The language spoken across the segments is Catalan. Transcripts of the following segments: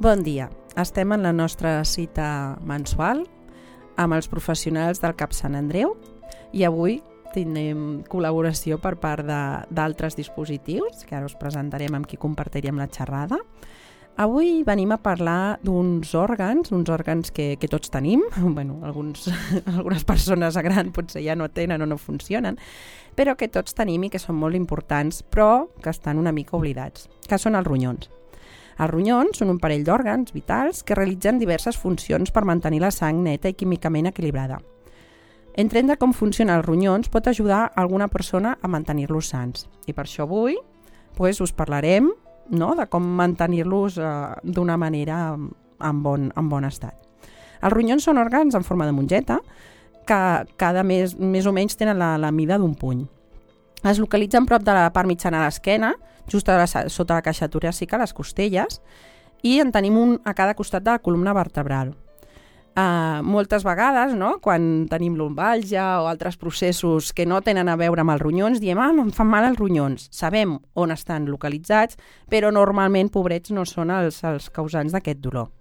Bon dia. Estem en la nostra cita mensual amb els professionals del CAP Sant Andreu i avui tindrem col·laboració per part d'altres dispositius que ara us presentarem amb qui compartirem la xerrada. Avui venim a parlar d'uns òrgans que tots tenim. Bueno, algunes persones grans potser ja no tenen o no funcionen, però que tots tenim i que són molt importants, però que estan una mica oblidats, que són els ronyons. Els ronyons són un parell d'òrgans vitals que realitzen diverses funcions per mantenir la sang neta i químicament equilibrada. Entendre com funcionen els ronyons pot ajudar a alguna persona a mantenir-los sants. I per això avui us parlarem de com mantenir-los d'una manera en bon estat. Els ronyons són òrgans en forma de mongeta que cada més o menys tenen la mida d'un puny. Es localitzen prop de la part mitjana de l'esquena, just sota la caixa toràcica, les costelles, i en tenim un a cada costat de la columna vertebral. Moltes vegades, quan tenim lumbàlgia o altres processos que no tenen a veure amb els ronyons, diem, em fan mal els ronyons. Sabem on estan localitzats, però normalment, pobrets, no són els causants d'aquest dolor.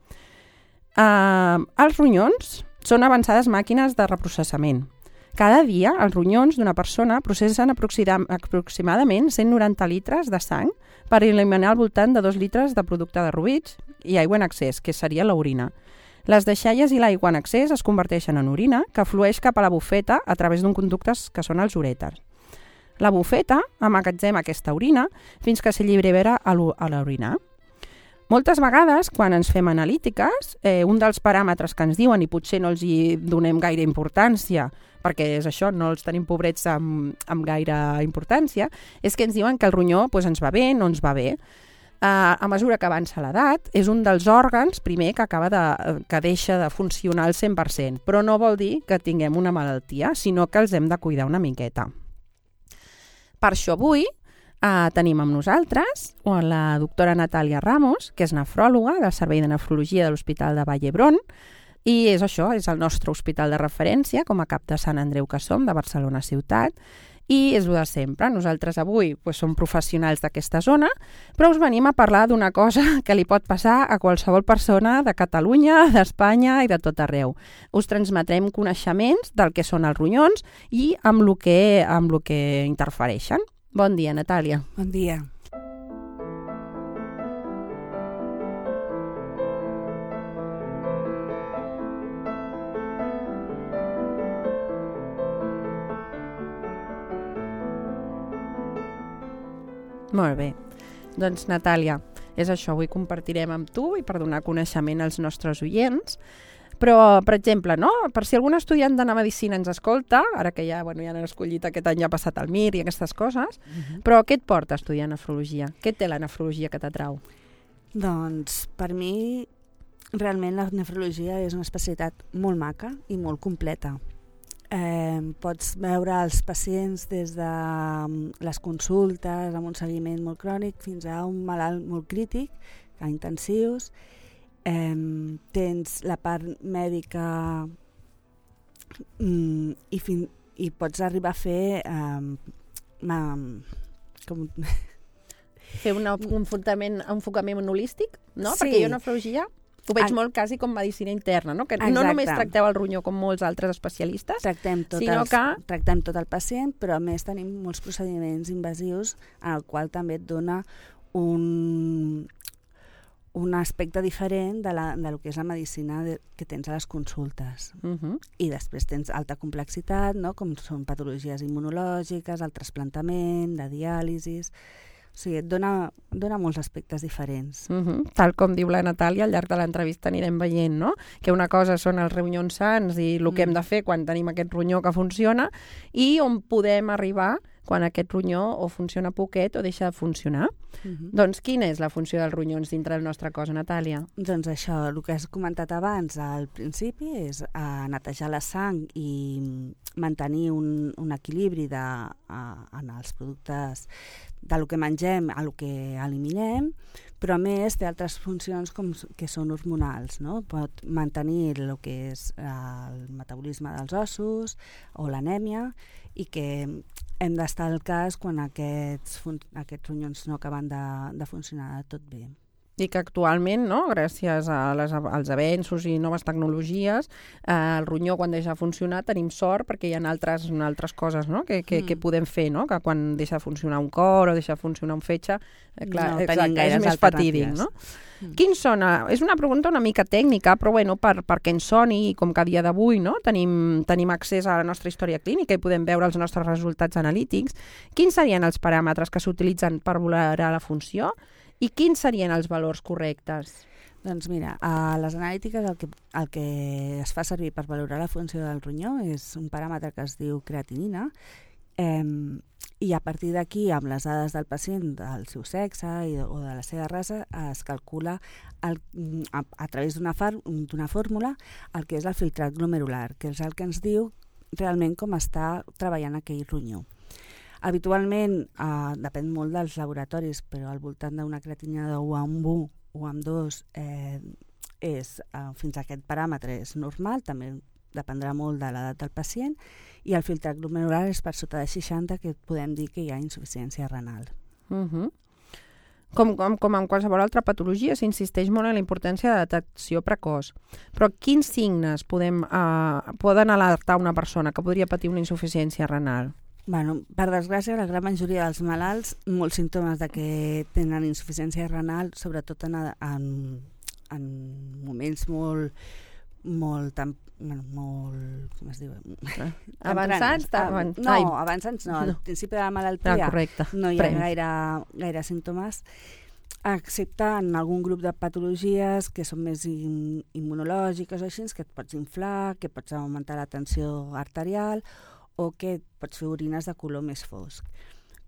Els ronyons són avançades màquines de reprocessament. Cada dia, els ronyons d'una persona processen aproximadament 190 litres de sang per eliminar al voltant de 2 litres de producte de derruïts i aigua en excés, que seria l'orina. Les deixalles i l'aigua en excés es converteixen en orina, que flueix cap a la bufeta a través d'un conductes que són els urèters. La bufeta emmagatzema aquesta orina fins que s'allibera a l'orinar. Moltes vegades, quan ens fem analítiques, un dels paràmetres que ens diuen, i potser no els hi donem gaire importància, perquè és això, no els tenim pobrets amb gaire importància, és que ens diuen que el ronyó ens va bé, no ens va bé. A mesura que avança l'edat, és un dels òrgans, primer, que deixa de funcionar al 100%, però no vol dir que tinguem una malaltia, sinó que els hem de cuidar una miqueta. Per això avui tenim amb nosaltres la doctora Natàlia Ramos, que és nefròloga del Servei de Nefrologia de l'Hospital de Vall d'Hebron, i és el nostre hospital de referència, com a CAP de Sant Andreu que som, de Barcelona ciutat, i és el de sempre. Nosaltres avui som professionals d'aquesta zona, però us venim a parlar d'una cosa que li pot passar a qualsevol persona de Catalunya, d'Espanya i de tot arreu. Us transmetrem coneixements del que són els ronyons i amb el que interfereixen. Bon dia, Natàlia. Bon dia. Molt bé. Doncs, Natàlia, és això. Avui compartirem amb tu i per donar coneixement als nostres oients. Però, per exemple, per si algun estudiant de medicina ens escolta, ara que ja han escollit aquest any, ja ha passat el MIR i aquestes coses, però què et porta a estudiar nefrologia? Què té la nefrologia que t'atrau? Doncs, per mi, realment la nefrologia és una especialitat molt maca i molt completa. Pots veure els pacients des de les consultes amb un seguiment molt crònic fins a un malalt molt crític, a intensius. Tens la part mèdica i pots arribar a fer fer un enfocament holístic, no? Sí. Perquè jo nefrologia ho veig molt quasi com medicina interna, no? Que no només tracteu el ronyó com molts altres especialistes, tractem tot el pacient, però a més tenim molts procediments invasius en el qual també et dona un aspecte diferent del que és la medicina que tens a les consultes. I després tens alta complexitat, com són patologies immunològiques, el trasplantament, de diàlisis. O sigui, et dona molts aspectes diferents. Tal com diu la Natàlia, al llarg de l'entrevista anirem veient, que una cosa són els ronyons sants i el que hem de fer quan tenim aquest ronyó que funciona i on podem arribar quan aquest ronyó o funciona poquet o deixa de funcionar. Doncs quina és la funció dels ronyons dintre del nostre cos, Natàlia? Doncs això, el que has comentat abans al principi és netejar la sang i mantenir un equilibri en els productes del que mengem a el que eliminem, però a més té altres funcions que són hormonals, no? Pot mantenir el que és el metabolisme dels ossos o l'anèmia i que hem d'estar al cas quan aquests ronyons no acaben de funcionar tot bé. I que actualment, no, gràcies als avenços i noves tecnologies, el ronyó quan deixa de funcionar tenim sort perquè hi ha altres coses, no, que podem fer, no? Que quan deixa de funcionar un cor o deixa de funcionar un fetge, clar, no tenim gaires és més fatídic, no? Quins són? És una pregunta una mica tècnica, però bueno, perquè ens soni, i com que a dia d'avui, no, tenim accés a la nostra història clínica i podem veure els nostres resultats analítics, quins serien els paràmetres que s'utilitzen per valorar la funció i quins serien els valors correctes? Doncs mira, a les analítiques el que es fa servir per valorar la funció del ronyó és un paràmetre que es diu creatinina, i a partir d'aquí, amb les dades del pacient, del seu sexe o de la seva raça, es calcula a través d'una fórmula el que és el filtrat glomerular, que és el que ens diu realment com està treballant aquell ronyó. Habitualment, depèn molt dels laboratoris, però al voltant d'una creatinina de 1 amb 1 o amb 2 fins a aquest paràmetre és normal, també dependrà molt de l'edat del pacient, i el filtrat glomerular és per sota de 60, que podem dir que hi ha insuficiència renal. Com en qualsevol altra patologia, s'insisteix molt en la importància de detecció precoç. Però quins signes poden alertar una persona que podria patir una insuficiència renal? Bueno, per desgràcia, la gran majoria dels malalts, molts símptomes de que tenen insuficiència renal, sobretot en moments molt com es diu? Avançats? Avançats no. Al principi de la malaltia no hi ha gaire símptomes, excepte en algun grup de patologies que són més immunològiques o així, que et pots inflar, que pots augmentar la tensió arterial o que pots fer orines de color més fosc.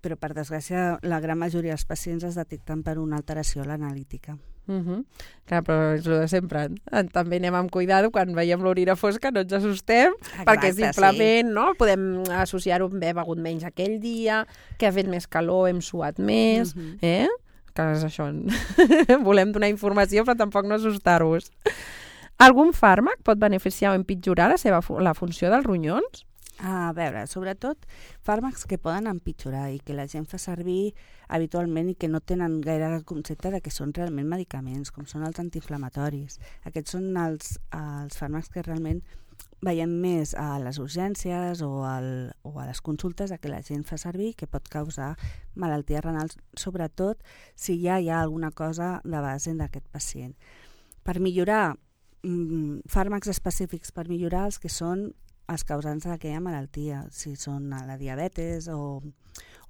Però, per desgràcia, la gran majoria dels pacients es detecten per una alteració a l'analítica. Clar, però és el de sempre. També anem amb cuidado quan veiem l'orina fosca, no ens assustem. Exacte, perquè simplement no? Podem associar-ho amb haver begut menys aquell dia, que ha fet més calor, hem suat més, que és això. Volem donar informació, però tampoc no assustar-vos. Algun fàrmac pot beneficiar o empitjorar la funció dels ronyons? A veure, sobretot fàrmacs que poden empitjorar i que la gent fa servir habitualment i que no tenen gaire concepte de que són realment medicaments, com són els antiinflamatoris. Aquests són els fàrmacs que realment veiem més a les urgències o a les consultes de que la gent fa servir, que pot causar malalties renals, sobretot si ja hi ha alguna cosa de base d'aquest pacient. Per millorar, fàrmacs específics per millorar els que són els causants d'aquella malaltia, si són la diabetes o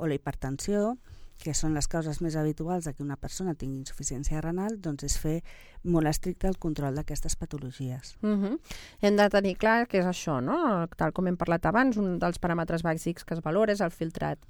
la hipertensió, que són les causes més habituals de que una persona tingui insuficiència renal, doncs és fer molt estricte el control d'aquestes patologies. Hem de tenir clar que és això, no? Tal com hem parlat abans, un dels paràmetres bàsics que es valora és el filtrat.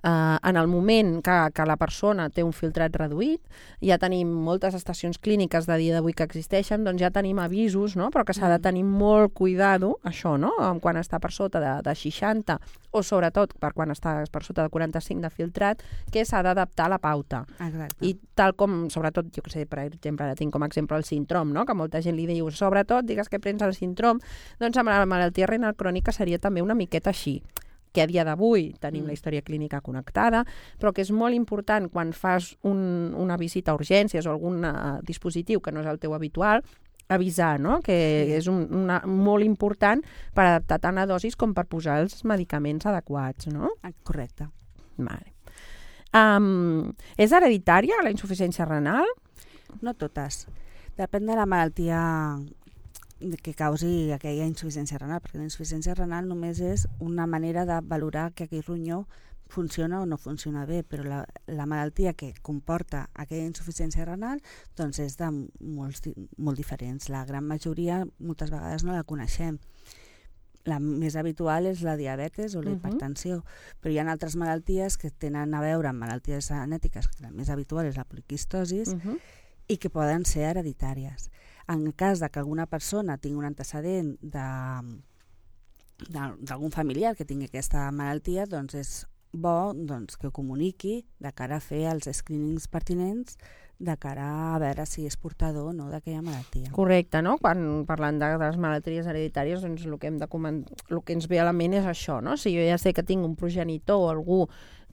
En el moment que la persona té un filtrat reduït, ja tenim moltes estacions clíniques de dia d'avui que existeixen, doncs ja tenim avisos, no? Però que s'ha de tenir molt cuidado, això, no? Quan està per sota de 60 o sobretot quan està per sota de 45 de filtrat, que s'ha d'adaptar a la pauta. Exacte. I tal com, sobretot, jo que sé, per exemple, ara tinc com a exemple el síndrom, no? Que molta gent li diu, sobretot, digues que prens el síndrom, doncs amb la malaltia renal crònica seria també una miqueta així, que a dia d'avui tenim la història clínica connectada, però que és molt important quan fas una visita a urgències o algun dispositiu que no és el teu habitual, avisar, no? Que és molt important per adaptar tant la dosis com per posar els medicaments adequats, no? Correcte. Vale. És hereditària la insuficiència renal? No totes. Depèn de la malaltia que causi aquella insuficiència renal, perquè la insuficiència renal només és una manera de valorar que aquell ronyó funciona o no funciona bé, però la malaltia que comporta aquella insuficiència renal doncs és de molt diferents. La gran majoria moltes vegades no la coneixem. La més habitual és la diabetes o la hipertensió, però hi ha altres malalties que tenen a veure amb malalties genètiques, que la més habitual és la poliquistosis, i que poden ser hereditàries. En el cas de que alguna persona tingui un antecedent d'algun familiar que tingui aquesta malaltia, doncs és bo que ho comuniqui de cara a fer els screenings pertinents de cara a veure si és portador o no d'aquella malaltia. Correcte, no? Quan parlant de les malalties hereditàries, doncs el que ens ve a la ment és això, no? Si jo ja sé que tinc un progenitor o algú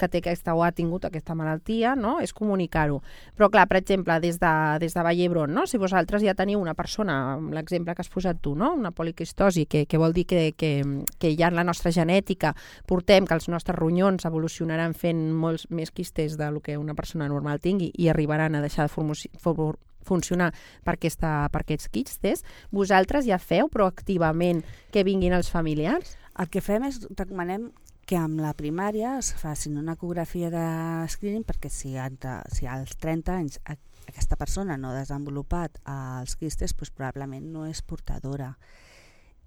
que té aquesta o ha tingut aquesta malaltia, no? És comunicar-ho. Però clar, per exemple, des de Vall d'Hebron, no? Si vosaltres ja teniu una persona, l'exemple que has posat tu, no? Una poliquistosi, que vol dir que ja en la nostra genètica portem que els nostres ronyons evolucionaran fent molts més quistes del que una persona normal tingui i arribaran a deixar de funcionar per aquests quistes, vosaltres ja feu proactivament que vinguin els familiars? El que fem és, recomanem que amb la primària es facin una ecografia de screening perquè si als 30 anys aquesta persona no ha desenvolupat els quistes, doncs probablement no és portadora.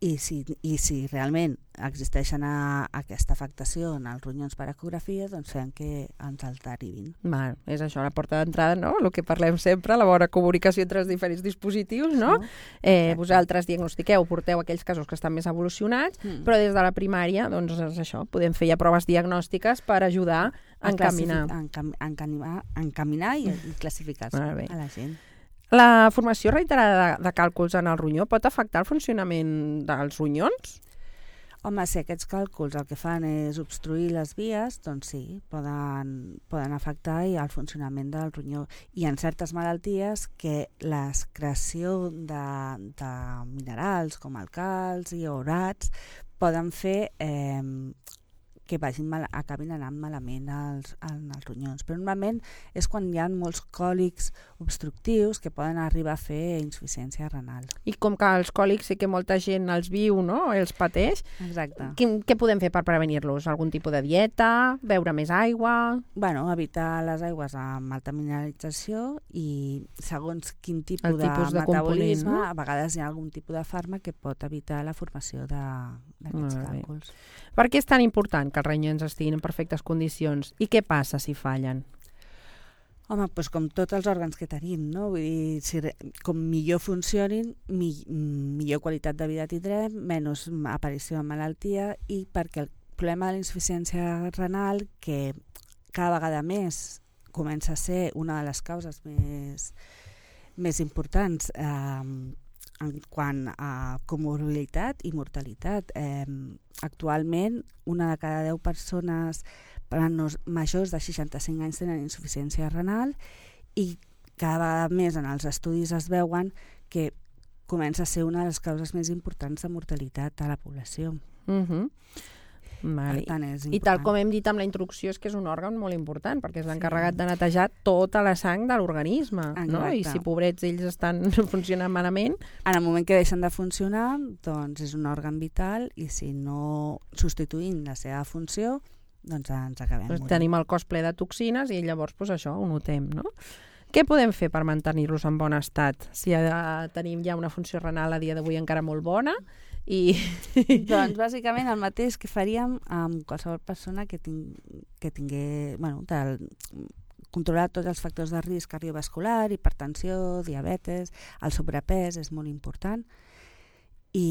I si realment existeixen aquesta afectació en els ronyons per ecografia, doncs fem que ens els derivin. És això, la porta d'entrada, no? El que parlem sempre, la bona comunicació entre els diferents dispositius, no? Vosaltres diagnostiqueu, porteu aquells casos que estan més evolucionats, però des de la primària, doncs és això, podem fer ja proves diagnòstiques per ajudar a encaminar i classificar-se a la gent. La formació reiterada de càlculs en el ronyó pot afectar el funcionament dels ronyons? Home, si aquests càlculs el que fan és obstruir les vies, doncs sí, poden afectar el funcionament del ronyó. I en certes malalties que l'excreció de minerals com el calci i orats poden fer que acabin anant malament els ronyons. Però normalment és quan hi ha molts còlics obstructius que poden arribar a fer insuficiència renal. I com que els còlics sí que molta gent els viu, no? Els pateix. Exacte. Què podem fer per prevenir-los? Algun tipus de dieta? Beure més aigua? Bueno, evitar les aigües amb alta mineralització i segons quin tipus de metabolisme, no? A vegades hi ha algun tipus de fàrmac que pot evitar la formació d'aquests càlculs. Per què és tan important que els ronyons estiguin en perfectes condicions? I què passa si fallen? Home, doncs com tots els òrgans que tenim, no? Vull dir, com millor funcionin, millor qualitat de vida tindrem, menys aparició de malaltia, i perquè el problema de la insuficiència renal, que cada vegada més comença a ser una de les causes més importants en quant a comorbilitat i mortalitat. Actualment, una de cada 10 persones majors de 65 anys tenen insuficiència renal i cada vegada més en els estudis es veuen que comença a ser una de les causes més importants de mortalitat a la població. Per tant, i tal com hem dit amb la introducció, és que és un òrgan molt important perquè és l'encarregat de netejar tota la sang de l'organisme, no? I si pobrets ells estan funcionant malament... En el moment que deixen de funcionar, doncs és un òrgan vital i si no substituïm la seva funció, doncs ens acabem morint. Tenim el cos ple de toxines i llavors això ho notem, no? Què podem fer per mantenir-los en bon estat? Si tenim ja una funció renal a dia d'avui encara molt bona Doncs bàsicament el mateix que faríem amb qualsevol persona que tingués, controlar tots els factors de risc cardiovascular, hipertensió, diabetes, el sobrepès és molt important, i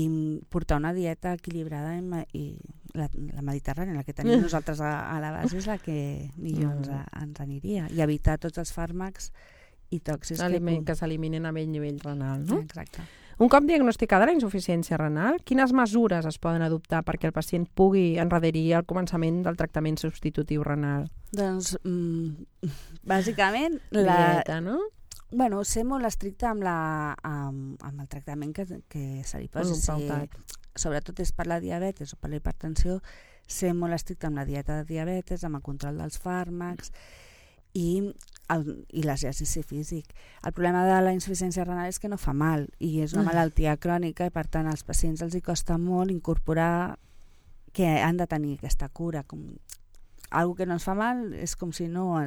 portar una dieta equilibrada i la mediterrània, la que tenim nosaltres a la base és la que millor ens aniria, i evitar tots els fàrmacs i tòxics que s'eliminen a nivell renal, no? Exacte. Un cop diagnosticada la insuficiència renal, quines mesures es poden adoptar perquè el pacient pugui endarrerir el començament del tractament substitutiu renal? Doncs, bàsicament... Dieta, no? Bueno, ser molt estricte amb el tractament que se li posi. Sobretot és per la diabetes o per la hipertensió, ser molt estricte amb la dieta de diabetes, amb el control dels fàrmacs i l'exercici físic. El problema de la insuficiència renal és que no fa mal i és una malaltia crònica i per tant als pacients els costa molt incorporar que han de tenir aquesta cura. Algo que no ens fa mal és com si no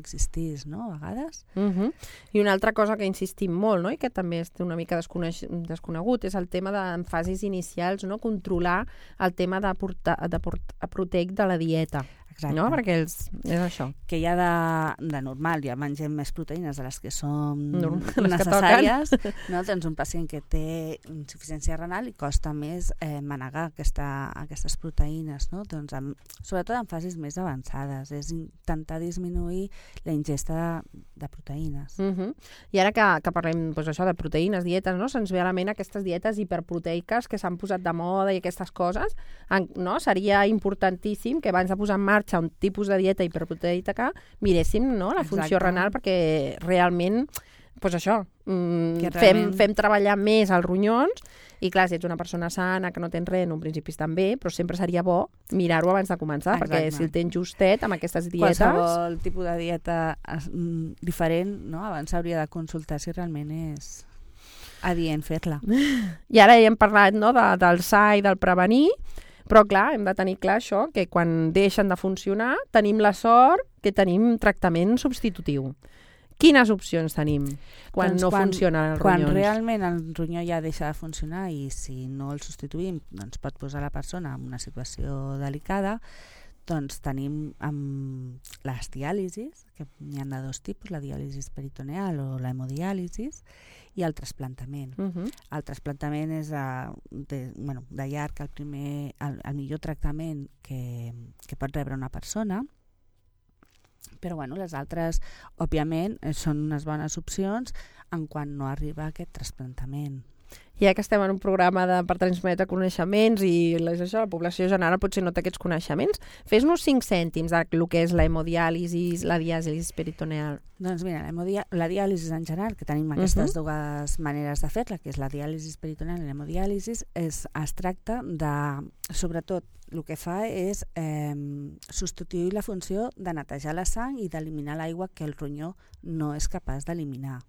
existís, no? A vegades. I una altra cosa que insistim molt, no? I que també és una mica desconegut és el tema en fases inicials, no? Controlar el tema de proteic de la dieta. Exacte. No? Perquè és això. Que ja de normal ja mengem més proteïnes de les que són necessàries, no? Doncs un pacient que té insuficiència renal i costa més manegar aquestes proteïnes, no? Doncs sobretot en fases més avançades, és intentar disminuir reduir la ingesta de proteïnes. I ara que parlem això de proteïnes, dietes, no? Se'ns ve a la ment aquestes dietes hiperproteiques que s'han posat de moda i aquestes coses, no? Seria importantíssim que abans de posar en marxa un tipus de dieta hiperproteica miréssim, no? La funció renal, perquè realment fem treballar més els ronyons i clar, si ets una persona sana que no tens res, en un principi estan bé, però sempre seria bo mirar-ho abans de començar, perquè si el tens justet amb aquestes dietes... Qualsevol tipus de dieta diferent, no? Abans s'hauria de consultar si realment és adient fer-la. I ara ja hem parlat, no, del sa i del prevenir, però clar, hem de tenir clar això, que quan deixen de funcionar tenim la sort que tenim tractament substitutiu. Quines opcions tenim quan no funcionen els ronyons? Quan realment el ronyó ja deixa de funcionar i si no el substituïm doncs pot posar la persona en una situació delicada, doncs tenim les diàlisis, que n'hi ha de dos tipus, la diàlisi peritoneal o l'hemodiàlisis, i el trasplantament. El trasplantament és de llarg el millor tractament que pot rebre una persona, però les altres, òbviament, són unes bones opcions en quan no arriba aquest trasplantament. Ja que estem en un programa per transmetre coneixements i la població general potser no té aquests coneixements, fes-nos 5 cèntims del que és la hemodiàlisi, la diàlisi peritoneal. Doncs mira, la diàlisi en general, que tenim aquestes dues maneres de fer-la, que és la diàlisi peritoneal i l'hemodiàlisi, es tracta de, sobretot, el que fa és substituir la funció de netejar la sang i d'eliminar l'aigua que el ronyó no és capaç d'eliminar.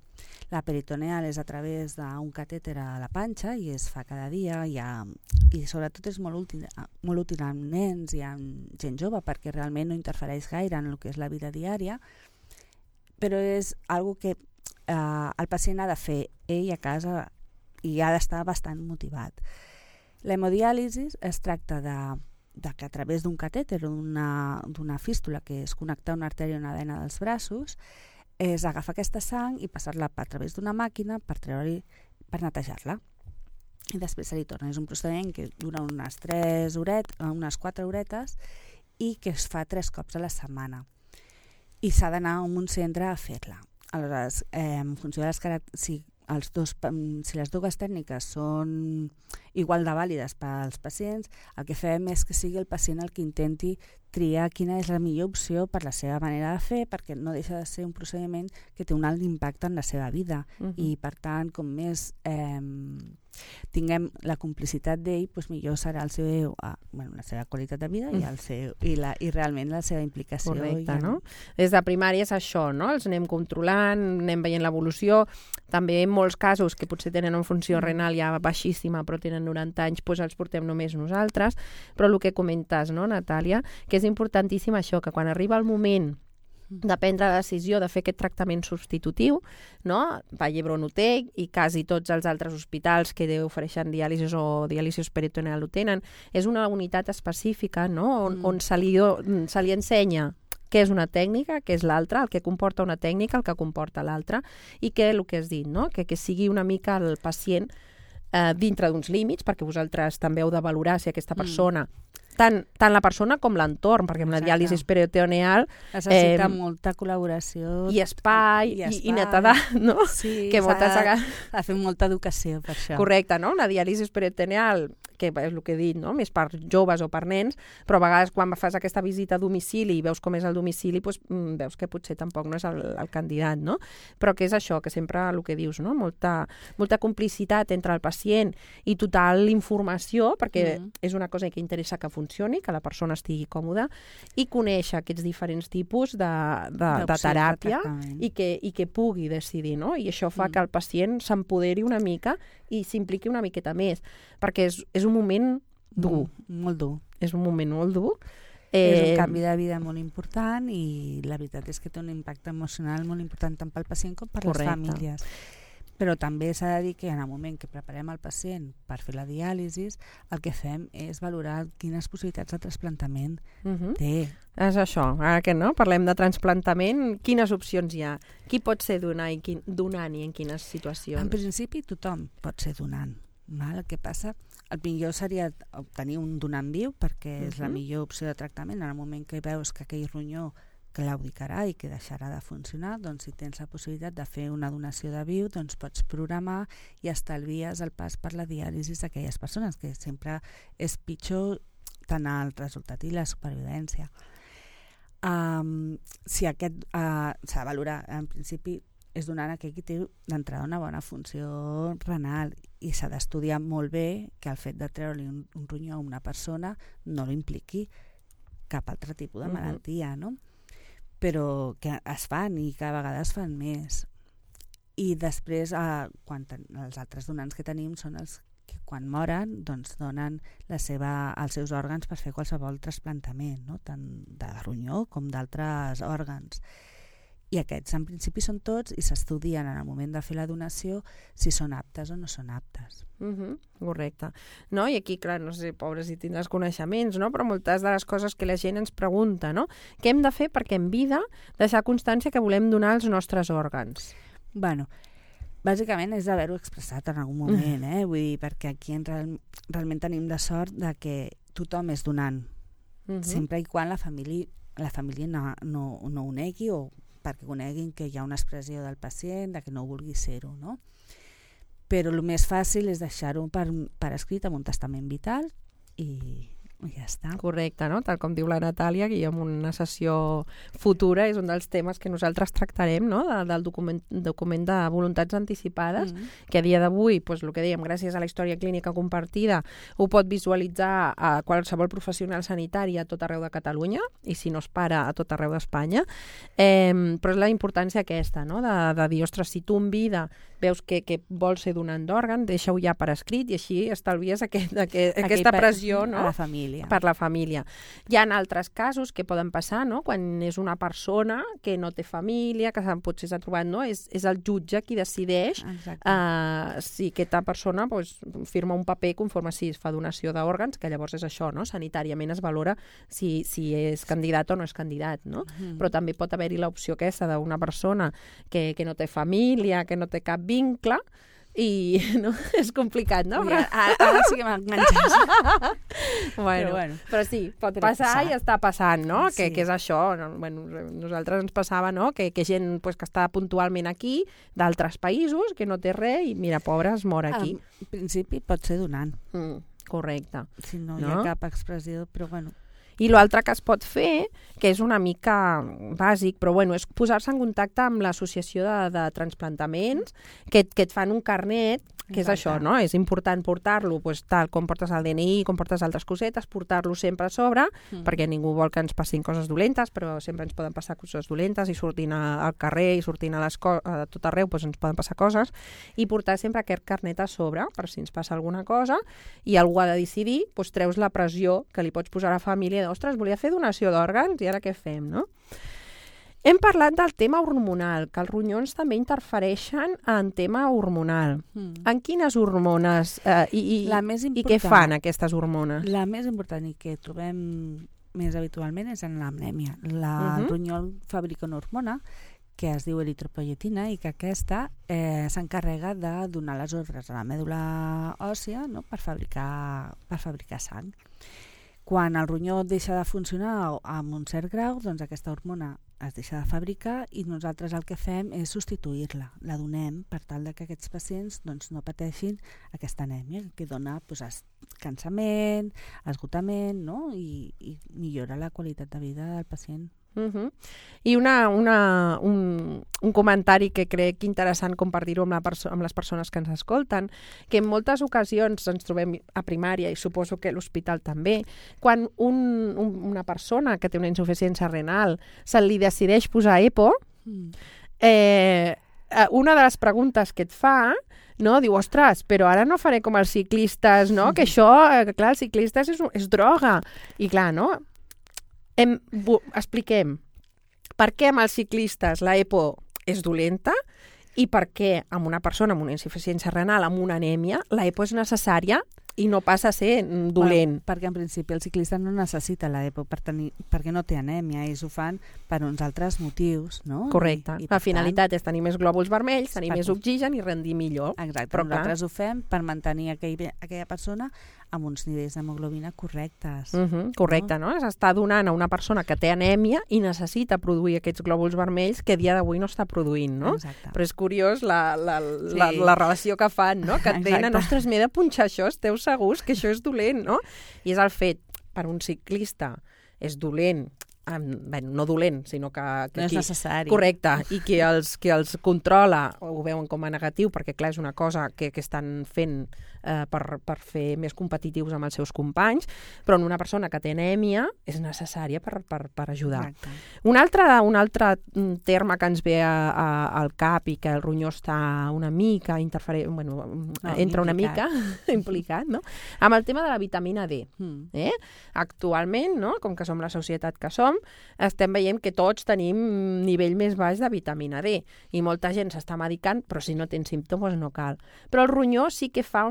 La peritoneal és a través d'un catèter a la panxa i es fa cada dia i sobretot és molt útil amb nens i amb gent jove perquè realment no interfereix gaire en el que és la vida diària, però és una que el pacient ha de fer ell a casa i ha d'estar bastant motivat. L'hemodiàlisi es tracta de que a través d'un catèter o d'una fístula, que és connectar una artèria a una vena dels braços, és agafar aquesta sang i passar-la a través d'una màquina per netejar-la. I després se li torna. És un procediment que dura unes 4 horetes i que es fa 3 cops a la setmana. I s'ha d'anar a un centre a fer-la. Aleshores, en funció de si les dues tècniques són igual de vàlides per als pacients, el que fem és que sigui el pacient el que intenti triar quina és la millor opció per la seva manera de fer, perquè no deixa de ser un procediment que té un alt impacte en la seva vida i per tant, com més tinguem la complicitat d'ell, doncs millor serà la seva qualitat de vida i realment la seva implicació. Correcte, no? Des de primària és això, no? Els anem controlant, anem veient l'evolució, també en molts casos que potser tenen una funció renal ja baixíssima però tenen 90 anys, doncs els portem només nosaltres, però el que comentes, no, Natàlia, que és importantíssim això, que quan arriba el moment de prendre la decisió de fer aquest tractament substitutiu, no? Vall d'Hebron ho té i quasi tots els altres hospitals que ofereixen diàlisi o diàlisi peritoneal ho tenen. És una unitat específica, no? On se li ensenya què és una tècnica, què és l'altra, el que comporta una tècnica, el que comporta l'altra, i que el que has dit, no? Que sigui una mica el pacient dintre d'uns límits, perquè vosaltres també heu de valorar si aquesta persona tant la persona com l'entorn, perquè amb la diàlisi peritoneal necessita molta col·laboració i espai i netedat, no? Sí, que moltes vegades ha de fer molta educació per això. Correcte, no? Una diàlisi peritoneal, que és el que he dit, no? Més per joves o per nens, però a vegades quan fas aquesta visita a domicili i veus com és el domicili, doncs veus que potser tampoc no és el candidat, no? Però que és això, que sempre el que dius, no? Molta complicitat entre el pacient i total informació, perquè és una cosa que interessa que funcioni, que la persona estigui còmoda, i conèixer aquests diferents tipus de teràpia i que pugui decidir, no? I això fa que el pacient s'empoderi una mica i s'impliqui una miqueta més, perquè és un moment dur. Molt dur. És un moment molt dur. És un canvi de vida molt important i la veritat és que té un impacte emocional molt important tant pel pacient com per les famílies. Però també s'ha de dir que en el moment que preparem el pacient per fer la diàlisi, el que fem és valorar quines possibilitats de trasplantament té. És això, ara que no, parlem de trasplantament, quines opcions hi ha? Qui pot ser donant i en quines situacions? En principi tothom pot ser donant. El que passa, el millor seria obtenir un donant viu perquè és la millor opció de tractament en el moment que veus que aquell ronyó claudicarà i que deixarà de funcionar, doncs si tens la possibilitat de fer una donació de viu, doncs pots programar i estalvies el pas per la diàlisi d'aquelles persones, que sempre és pitjor tant el resultat i la supervivència. Si aquest s'ha de valorar, en principi és donant aquell que té d'entrada una bona funció renal i s'ha d'estudiar molt bé que el fet de treure-li un ronyó a una persona no l'impliqui cap altre tipus de malaltia, no? Però que es fan i cada vegada es fan més. I després, els altres donants que tenim són els que quan moren doncs donen els seus òrgans per fer qualsevol trasplantament, no? Tant de ronyó com d'altres òrgans. I aquests en principi són tots i s'estudien en el moment de fer la donació si són aptes o no són aptes. Correcte. No? I aquí, clar, no sé, pobres, si tindràs coneixements, no? Però moltes de les coses que la gent ens pregunta, no? Què hem de fer perquè en vida deixar constància que volem donar els nostres òrgans? Bueno, bàsicament és d'haver-ho expressat en algun moment, vull dir, perquè aquí realment tenim la sort de que tothom és donant, sempre i quan la família no ho negui o perquè coneguin que hi ha una expressió del pacient, de que no vulgui ser-ho, no? Però el més fàcil és deixar-ho per escrit amb un testament vital i ja està. Correcte, no? Tal com diu la Natàlia, que en una sessió futura és un dels temes que nosaltres tractarem, no? Del document de voluntats anticipades, que a dia d'avui, doncs, el que dèiem, gràcies a la història clínica compartida, ho pot visualitzar a qualsevol professional sanitari a tot arreu de Catalunya, i si no es para a tot arreu d'Espanya. Però és la importància aquesta, no? De dir, ostres, si tu en vida veus que vols ser donant d'òrgan, deixa-ho ja per escrit i així estalvies aquesta pressió, no? A la família. Per la família. Hi ha altres casos que poden passar, no? Quan és una persona que no té família, que potser s'ha trobat, no? És el jutge qui decideix si aquesta persona firma un paper conforme si es fa donació d'òrgans, que llavors és això, no? Sanitàriament es valora si és candidat o no és candidat, no? Però també pot haver-hi l'opció aquesta d'una persona que no té família, que no té cap vincle, i no? És complicat, no? Ara sí que m'enganxes. Però sí, pot passar i està passant, no? Que és això. Nosaltres ens passava, no? Que gent que està puntualment aquí, d'altres països, que no té res, i mira, pobra, es mor aquí. En principi pot ser donant. Correcte. Si no hi ha cap expressió, però bueno. I l'altre que es pot fer, que és una mica bàsic, però és posar-se en contacte amb l'associació de transplantaments, que et fan un carnet, que és això, no? És important portar-lo, tal com portes el DNI, com portes altres cosetes, portar-lo sempre a sobre, perquè ningú vol que ens passin coses dolentes, però sempre ens poden passar coses dolentes i sortint al carrer i sortint a tot arreu ens poden passar coses, i portar sempre aquest carnet a sobre, per si ens passa alguna cosa, i algú ha de decidir, treus la pressió que li pots posar a la família ostres, volia fer donació d'òrgans i ara què fem, no? Hem parlat del tema hormonal, que els ronyons també interfereixen en tema hormonal. En quines hormones i què fan aquestes hormones? La més important i que trobem més habitualment és en l'anèmia. El ronyol fabrica una hormona que es diu eritropoietina i que aquesta s'encarrega de donar les ordres a la mèdula òssia, no? per fabricar sang. Quan el ronyó deixa de funcionar amb un cert grau, doncs aquesta hormona es deixa de fabricar i nosaltres el que fem és substituir-la. La donem per tal que aquests pacients no pateixin aquesta anèmia, que dona cansament, esgotament, no? I millora la qualitat de vida del pacient. I un comentari que crec interessant compartir-ho amb les persones que ens escolten, que en moltes ocasions ens trobem a primària i suposo que a l'hospital també, quan una persona que té una insuficiència renal se li decideix posar EPO, una de les preguntes que et fa, no? Diu, ostres, però ara no faré com els ciclistes, no? Que això, clar, els ciclistes és droga. I clar, no? Expliquem per què amb els ciclistes la EPO és dolenta i per què amb una persona amb una insuficiència renal, amb una anèmia, la EPO és necessària i no passa a ser dolent. Perquè en principi el ciclista no necessita la EPO perquè no té anèmia, ells ho fan per uns altres motius, no? Correcte. La finalitat és tenir més glòbuls vermells, tenir més oxigen i rendir millor. Exacte, però nosaltres ho fem per mantenir aquella persona amb uns nivells d'hemoglobina correctes. Correcte, no? S'està donant a una persona que té anèmia i necessita produir aquests glòbuls vermells que a dia d'avui no està produint, no? Exacte. Però és curiós la relació que fan, no? Que et venen, ostres, m'he de punxar això, esteu segurs que això és dolent, no? I és el fet, per un ciclista, és dolent, no dolent, sinó que no és necessari. Correcte, i que els controla ho veuen com a negatiu, perquè clar, és una cosa que estan fent per fer més competitius amb els seus companys, però en una persona que té anèmia és necessària per ajudar. Exacte. Un altre terme que ens ve al cap i que el ronyó està una mica entra una mica implicat, no? Amb el tema de la vitamina D. Actualment, no? Com que som la societat que som, estem veient que tots tenim nivell més baix de vitamina D i molta gent s'està medicant, però si no tens símptomes no cal. Però el ronyó sí que fa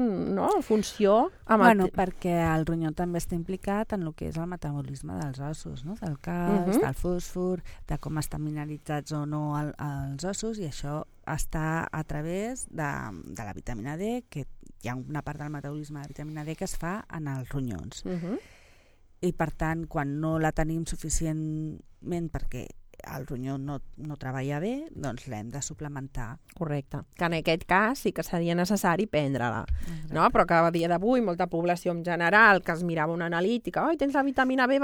funció amb perquè el ronyó també està implicat en el que és el metabolisme dels ossos, no? Del calç, del fòsfor, de com estan mineralitzats o no els ossos, i això està a través de la vitamina D, que hi ha una part del metabolisme de vitamina D que es fa en els ronyons. I per tant, quan no la tenim suficientment perquè el ronyó no treballa bé, doncs l'hem de suplementar. Correcte. Que en aquest cas sí que seria necessari prendre-la. No? Però que a dia d'avui molta població en general que es mirava una analítica, tens la vitamina B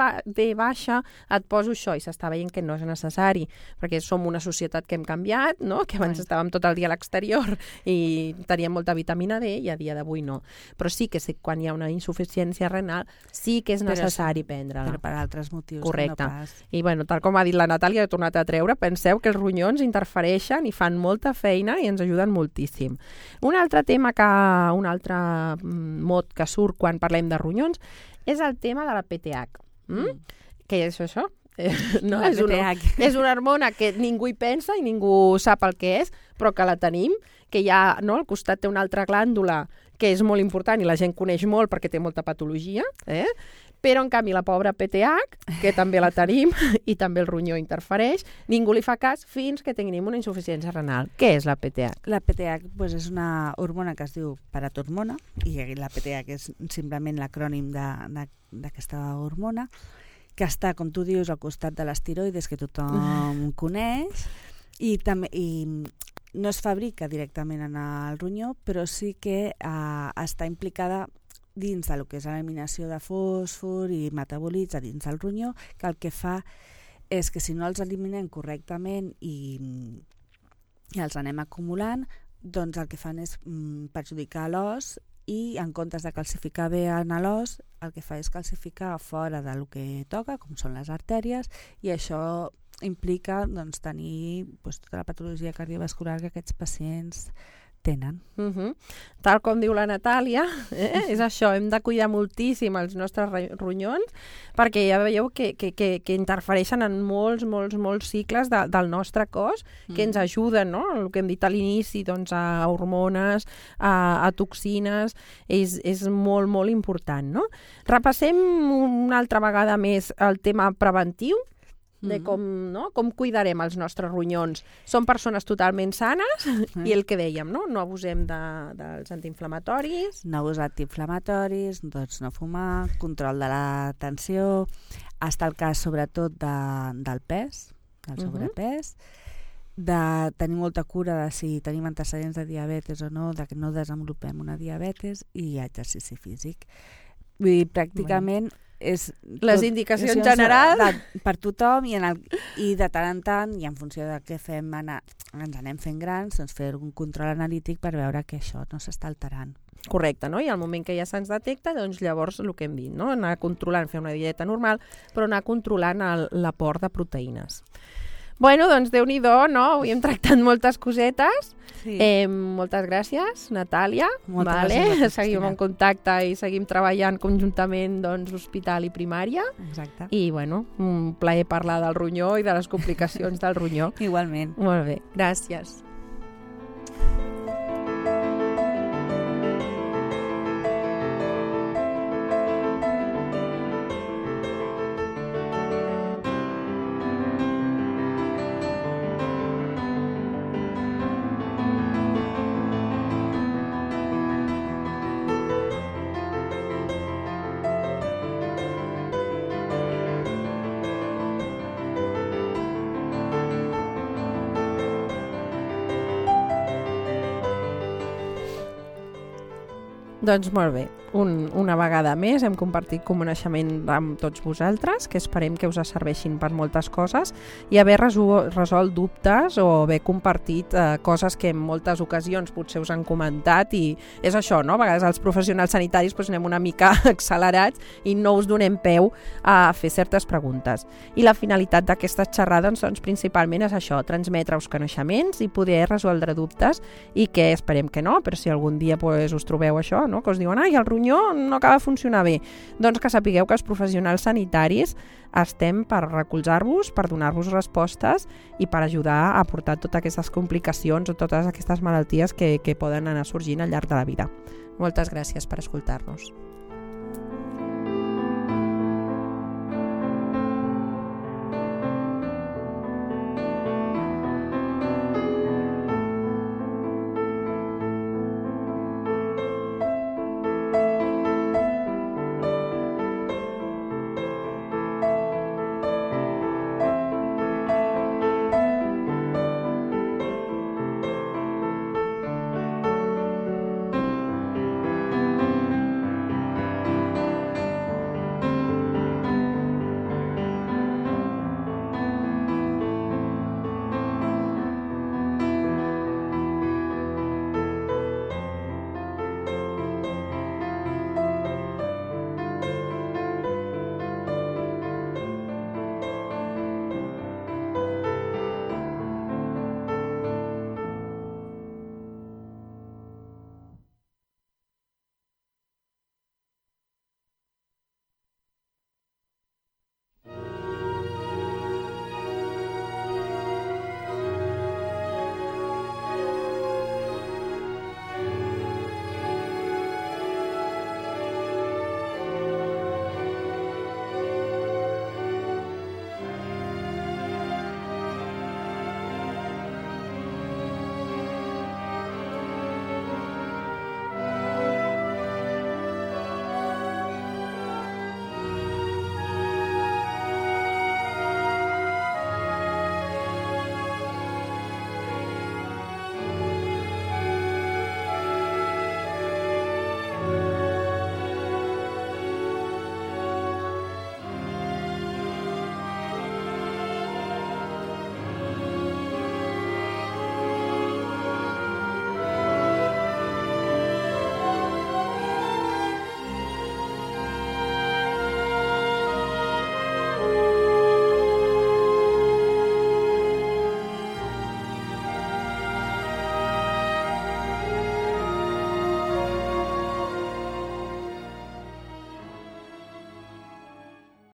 baixa, et poso això, i s'està veient que no és necessari, perquè som una societat que hem canviat, no? Que abans estàvem tot el dia a l'exterior i teníem molta vitamina D i a dia d'avui no. Però sí que quan hi ha una insuficiència renal sí que és necessari prendre-la. Però per altres motius. Correcte. No pas. I tal com ha dit la Natàlia, he tornat a treure, penseu que els ronyons interfereixen i fan molta feina i ens ajuden moltíssim. Un altre tema un altre mot que surt quan parlem de ronyons és el tema de la PTH. Què és això? No, és una hormona que ningú hi pensa i ningú sap el que és, però que la tenim, que hi ha, no, al costat té una altra glàndula que és molt important i la gent coneix molt perquè té molta patologia, però en canvi la pobra PTH, que també la tenim i també el ronyó interfereix, ningú li fa cas fins que tinguem una insuficiència renal. Què és la PTH? La PTH és una hormona que es diu paratormona, i la PTH és simplement l'acrònim d'aquesta hormona, que està, com tu dius, al costat de les tiroides, que tothom coneix, i no es fabrica directament en el ronyó, però sí que està implicada dins del que és l'eliminació de fòsfor i metabolitza dins del ronyó, que el que fa és que si no els eliminem correctament i els anem acumulant, doncs el que fan és perjudicar l'os, i en comptes de calcificar bé en l'os, el que fa és calcificar fora del que toca, com són les artèries, i això implica tenir tota la patologia cardiovascular que aquests pacients tenen. Tal com diu la Natàlia, és això, hem de cuidar moltíssim els nostres ronyons, perquè ja veieu que interfereixen en molts cicles del nostre cos, que ens ajuden, no? El que hem dit a l'inici, a hormones, a toxines, és molt important, no? Repassem una altra vegada més el tema preventiu, de com cuidarem els nostres ronyons. Són persones totalment sanes i el que dèiem, no abusem dels antiinflamatoris. No abusar d'antiinflamatoris, no fumar, control de la tensió, està el cas sobretot del pes, del sobrepès, de tenir molta cura de si tenim antecedents de diabetes o no, de que no desenvolupem una diabetes, i exercici físic. Vull dir, pràcticament és les indicacions generals per tothom, i de tant en tant, i en funció de què fem, ens anem fent grans, fer un control analític per veure que això no s'està alterant. Correcte, no? I al moment que ja se'ns detecta, doncs llavors el que hem dit, no? Anar controlant, fer una dieta normal, però anar controlant l'aport de proteïnes. Bueno, doncs Déu-n'hi-do, no? Avui hem tractat moltes cosetes. Sí. Moltes gràcies, Natàlia. Gràcies. Seguim en contacte i seguim treballant conjuntament, hospital i primària. Exacte. I, un plaer parlar del ronyó i de les complicacions del ronyó. Igualment. Molt bé, gràcies. Doncs molt bé, una vegada més hem compartit coneixement amb tots vosaltres, que esperem que us serveixin per moltes coses i haver resolt dubtes o haver compartit coses que en moltes ocasions potser us han comentat, i és això, no? A vegades els professionals sanitaris anem una mica accelerats i no us donem peu a fer certes preguntes. I la finalitat d'aquestes xerrades doncs, principalment és això, transmetre-us coneixements i poder resoldre dubtes, i que esperem que no, però si algun dia us trobeu això, no? Que us diuen, ai, el ronyó no acaba de funcionar bé, doncs que sapigueu que els professionals sanitaris estem per recolzar-vos, per donar-vos respostes i per ajudar a portar totes aquestes complicacions o totes aquestes malalties que poden anar sorgint al llarg de la vida. Moltes gràcies per escoltar-nos.